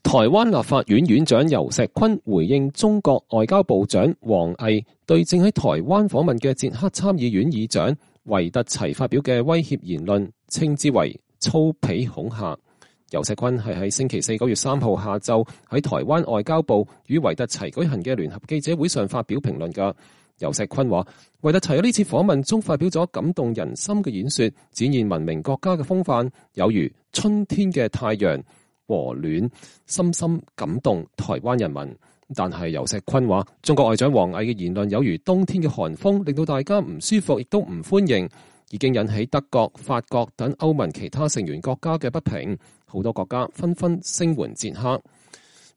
台灣立法院院長游錫堃回應中國外交部長王毅對正喺台灣訪問嘅捷克參議院議長維特齊發表嘅威脅言論，稱之為粗鄙恐嚇。游錫堃係喺星期4 9月3號下晝喺台灣外交部與維特齊舉行嘅聯合記者會上發表評論㗎。游錫堃話，維特齊喺呢次訪問中發表咗感動人心嘅演說，展現文明國家嘅風範，有如春天嘅太陽和暖，深深感動台灣人民。但係游錫堃話，中國外長王毅嘅言論有如冬天嘅寒風，令到大家唔舒服，亦都唔歡迎，已經引起德國、法國等歐盟其他成員國家嘅不平，好多國家紛紛聲援捷克。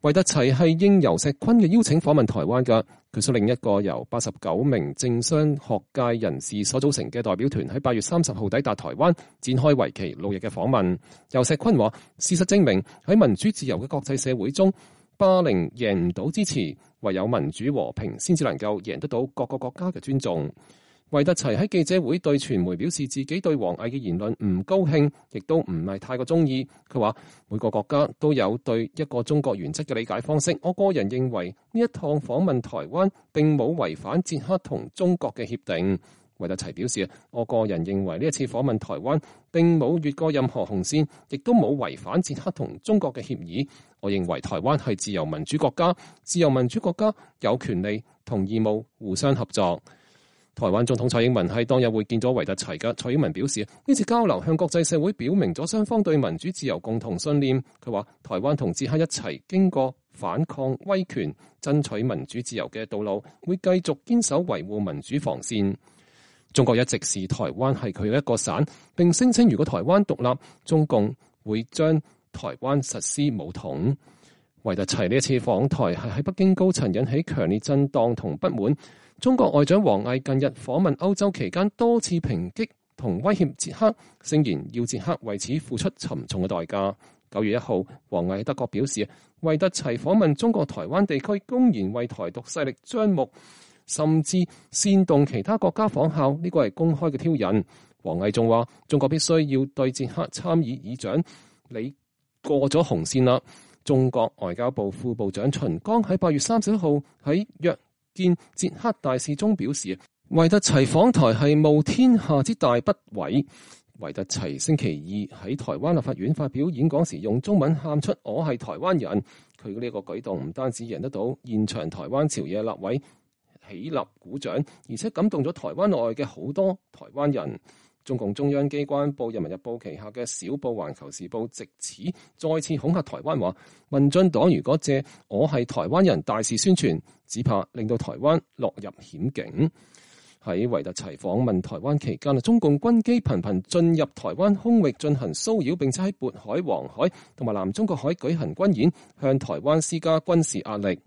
維特齊係應游錫堃嘅邀請訪問台灣嘅，佢率領一個由89名政商學界人士所組成嘅代表團喺8月30號抵達台灣，展開為期6日嘅訪問。游錫堃話，事實證明喺民主自由嘅國際社會中，霸凌贏唔到支持，唯有民主和平先至能夠贏得到各個國家嘅尊重。維特齊喺記者會對傳媒表示自己對王毅嘅言論唔高興，亦都唔係太過中意。佢話，每個國家都有對一個中國原則嘅理解方式，我個人認為呢一趟訪問台灣並冇違反捷克同中國嘅協定。維特齊表示，我個人認為呢一次訪問台灣並冇越過任何紅線，亦都冇違反捷克同中國嘅協議。我認為台灣係自由民主國家，自由民主國家有權利同義務互相合作。台灣總統蔡英文喺當日會見咗維特齊嘅。蔡英文表示，呢次交流向國際社會表明咗雙方對民主自由共同信念。佢話，台灣同捷克一齊經過反抗威權、爭取民主自由嘅道路，會繼續堅守維護民主防線。中國一直視台灣係佢嘅一個省，並聲稱如果台灣獨立，中共會將台灣實施武統。維特齊呢一次訪台係喺北京高層引起強烈震盪同不滿。中國外長王毅近日訪問歐洲期間多次抨擊同威脅捷克，聲言要捷克為此付出沉重嘅代價。9月1號，王毅喺德國表示，維特齊訪問中國台灣地區，公然為台獨勢力張目，甚至煽動其他國家仿效，呢個係公開嘅挑釁。王毅仲話，中國必須要對捷克參議議長，你過咗紅線啦。中國外交部副部長秦剛喺8月31號喺約見捷克大使中表示，維特齊訪台係冒天下之大不韙。維特齊星期2喺台灣立法院發表演講時，用中文喊出我係台灣人。佢嘅呢個舉動唔單止贏得到現場台灣朝野立委起立鼓掌，而且感動咗台灣內嘅好多台灣人。中共中央機關報《人民日報》旗下嘅小報《環球時報》藉此再次恐嚇台灣，話民進黨如果借我係台灣人大肆宣傳，只怕令到台灣落入險境。喺維特齊訪問台灣期間，中共軍機頻頻進入台灣空域進行騷擾，並且喺渤海、黃海同埋南中國海舉行軍演，向台灣施加軍事壓力。